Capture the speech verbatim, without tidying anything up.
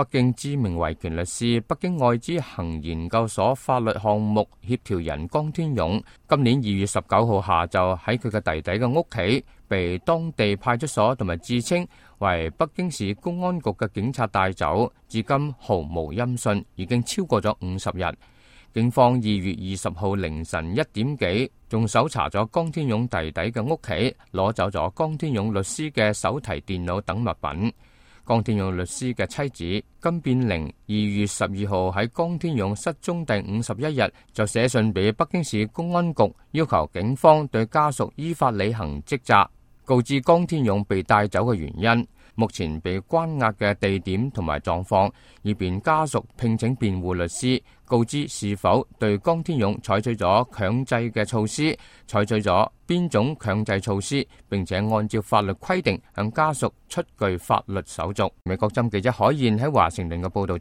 北京知名維權律師、北京愛知行研究所法律項目協調人江天勇，今年二月十九號下晝喺佢嘅弟弟嘅屋企，被當地派出所同埋自稱為北京市公安局嘅警察帶走，至今毫無音訊，已經超過咗五十日。警方二月二十號凌晨一點幾，仲搜查咗江天勇弟弟嘅屋企，攞走咗江天勇律師嘅手提電腦等物品。江天勇律師嘅妻子金變玲二月十二號喺江天勇失蹤第五十一日就寫信俾北京市公安局，要求警方對家屬依法履行職責，告知江天勇被帶走嘅原因、目前被關押嘅地點同埋狀況，以便家屬聘請辯護律師，告知是否對江天勇採取咗強制嘅措施，採取咗邊種強制措施，並且按照法律規定向家屬出具法律手續。美國針記者海燕喺華盛頓嘅報道。